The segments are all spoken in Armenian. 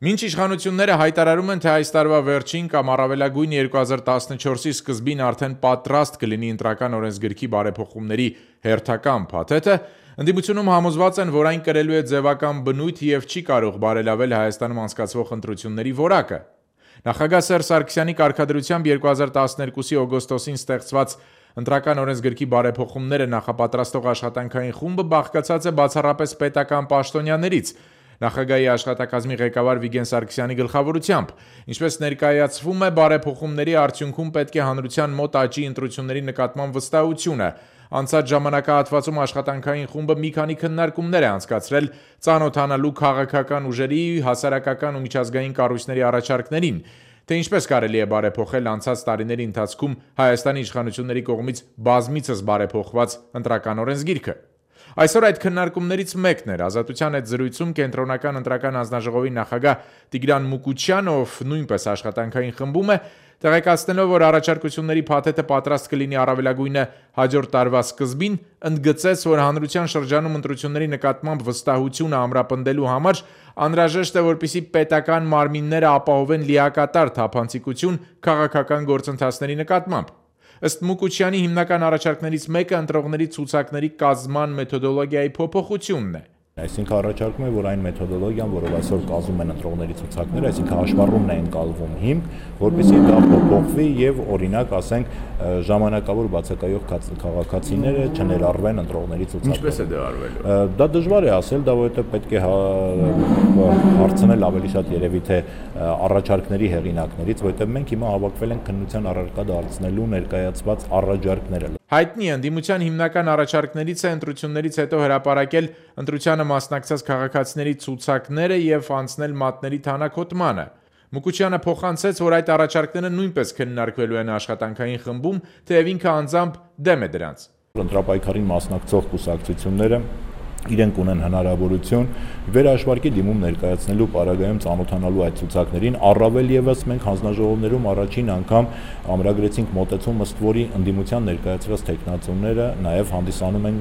Մինչ իշխանությունները հայտարարում են, թե այս տարվա վերջին կամ առավելագույն 2014-ի սկզբին արդեն պատրաստ կլինի ընտրական օրենսգրքի բարեփոխումների հերթական փաթեթը, ընդդիմությունում համոզված են, որ այն կրելու է ձևական բնույթ և չի կարող բարելավել Հայաստանում անցկացվող ընտրությունների որակը։ Նախագահ Սերժ Սարգսյանի կարգադրությամբ 2012-ի օգոստոսին ստեղծված ընտրական օրենսգրքի բարեփոխումները նախապատրաստող աշխատանքային խումբը բաղկացած է բացառապես պետական պաշտոնյաներից, Նախագահի աշխատակազմի ղեկավար Վիգեն Սարգսյանի գլխավորությամբ, ինչպես ներկայացվում է, բարեփոխումների արդյունքում պետք է հանրության մոտ աճի ընտրությունների նկատմամբ վստահությունը։ Անցած ժամանակահատվածում աշխատանքային խումբը մի քանի քննարկումներ է անցկացրել ծանոթանալու քաղաքական ուժերի, հասարակական ու միջազգային կառույցների առաջարկներին, թե ինչպես կարելի է բարեփոխել անցած տարիների ընթացքում Հայաստանի իշխանությունների կողմից բազմիցս բարեփոխված ընտրական օրենսգիրքը։ Այսօր այդ քննարկումներից մեկն էր Ազատության հետ զրույցում Կենտրոնական ընտրական հանձնաժողովի նախագահ Տիգրան Մուկուչյանը, ով նույնպես աշխատանքային խմբում է, տեղեկացնելով, որ առաջարկությունների փաթեթը պատրաստ կլինի առավելագույնը հաջորդ տարվա սկզբին, ընդգծեց, որ հանրության շրջանում ընտրությունների նկատմամբ վստահությունը ամրապնդելու համար անհրաժեշտ է, որպեսզի պետական մարմինները ապահովեն լիակատար թափանցիկություն քաղաքական գործընթացների նկատմամբ։ Ըստ Մուկուչյանի հիմնական առաջարկներից մեկը ընտրողների ցուցակների կազմման մեթոդոլոգիայի փոփոխությունն է։ Այսինքն առաջարկում է, որ այն մեթոդոլոգիան, որով այսօր կազմում են ընտրողների ցուցակները, այսինքն հաշվառումն է ընկալվում հիմք, որպեսզի դա փոփոխվի եւ օրինակ, ասենք, ժամանակավոր բացակայող քաղաքացիները չներառվեն ընտրողների ցուցակում։ Ինչպես է դա արվելու։ Դա դժվար է ասել, դա որովհետեւ պետք է հարցնել ավելի շատ երևի թե առաջարկների հեղինակներից, որովհետեւ մենք հիմա հավաքվել ենք քննության առարկա դարձնելու ներկայացված առաջարկները։ Հայտնի ընդդիմության հիմնական առաջարկներից է ընտրություններից հետո հրապարակել ընտրությանը մասնակցած քաղաքացիների ցուցակները եւ անցնել մատների թանաքոտմանը։ Մուկուչյանը փոխանցեց, որ այդ առաջարկները նույնպես քննարկվելու են աշխատանքային խմբում, թեև ինքը անձամբ դեմ է դրանց։ Ընտրապայքարին մասնակցող կուսակցությունները իրենք ունեն հնարավորություն վերահաշվարկի դիմում ներկայացնելու պարագայում ծանոթանալու այդ ցուցակներին, առավել եւս մենք հանձնաժողովներում առաջին անգամ ամրագրեցինք մոտեցում, ըստ որի ընդդիմության ներկայացրած տեխնացուները նաեւ հանդիսանում են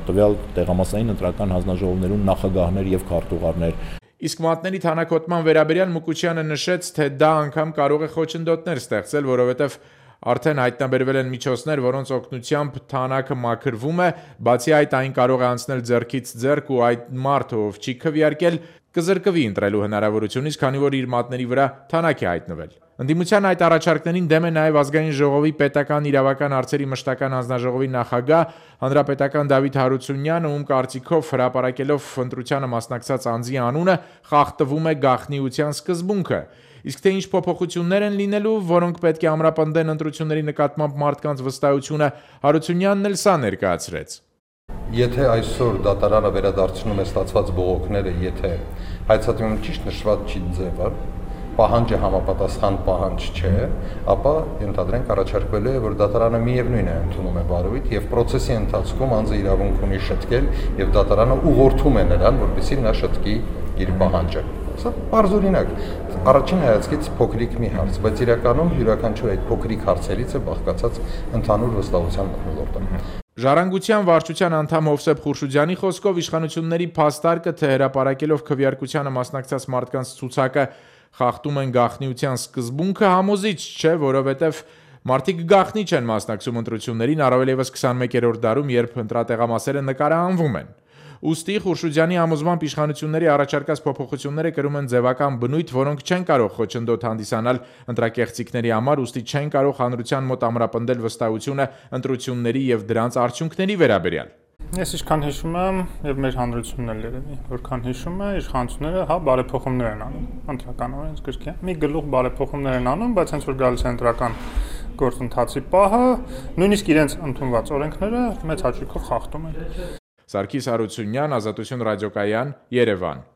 տվյալ տեղամասային ընտրական հանձնաժողովներում նախագահներ եւ քարտուղարներ։ Իսկ մատների թանաքոտման վերաբերյալ Մուկուչյանը նշեց, թե դա անգամ կարող է խոչընդոտներ ստեղծել, որովհետև արդեն հայտնաբերվել են միջոցներ, որոնց օգնությամբ թանակը մաքրվում է, բացի այդ այն կարող է անցնել ձեռքից ձեռք ու այդ մարդը, ով չի քվեարկել, կզրկվի ընտրելու հնարավորությունից, քանի որ իր մատների վրա թանակ է հայտնվել։ Ընդդիմության այդ առաջարկներին դեմ է նաև Ազգային ժողովի պետական իրավական հարցերի մշտական հանձնաժողովի նախագահ հանրապետական Դավիթ Հարությունյանը, ում կարծիքով հրապարակելով ընտրությանը մասնակցած անձի անունը խախտվում է գաղտնիության սկզբունքը։ Իսկ թե ինչ փոփոխություններ են լինելու, որոնք պետք է ամրապնդեն ընտրությունների նկատմամբ մարդկանց վստահությունը, Հարությունյանն էլ սա ներկայացրեց։ Եթե այսօր դատարանը վերադարձնում է ստացված բողոքները, եթե հայցատիմում ճիշտ նշված չի ձևը, պահանջը համապատասխան պահանջ չէ, ապա ենթադրենք առաջարկվելու է, որ դատարանը միևնույն է ընդունում է բարույթ եւ process-ի ընթացքում անձը իրավունք ունի շտկել եւ դատարանը ուղղորդում է նրան, որպեսզի նա շտկի իր պահանջը։ Սա բարձրօրինակ, առաջին հայացքից փոքրիկ մի հարց, բայց իրականում յուրաքանչյուր այդ փոքրիկ հարցերից է բաղկացած ընդհանուր վստահության մթնոլորտը։ Ժառանգության վարչության անդամ Հովսեփ Խուրշուդյանի խոսքով իշխանությունների փաստարկը, թե հրապարակելով քվեարկությանը մասնակցած մարդկանց ցուցակը խախտում են գաղտնիության սկզբունքը, համոզիչ չէ, որովհետև մարդիկ գաղտնի չեն մասնակցում ընտրություններին, առավել եւս 21-րդ դարում, երբ ընտրատեղամասերը նկարահանվում են։ Ուստի Խուրշուդյանի համոզմամբ իշխանությունների առաջարկած փոփոխությունները կրում են ձևական բնույթ, որոնք չեն կարող խոչընդոտ հանդիսանալ ընտրակեղծիքների համար, ուստի չեն կարող հանրության մոտ ամրապնդել վստահությունը ընտրությունների եւ դրանց արդյունքների վերաբերյալ։ Ես ինչքան հիշում եմ, եւ մեր հանրությունն էլ երևի, որքան հիշում է, իշխանությունները բարեփոխումներ են անում ընտրական օրենսգրքի։ Մի գլուխ բարեփոխումներ են անում, բայց հենց որ գալիս է ընտրական գործընթացի պահը, նույնիսկ իրենց ընդունված օրենքները մեծ հաճույքով խախտում են։ Սարգիս Հարությունյան, Ազատություն ռադիոկայան, Երևան։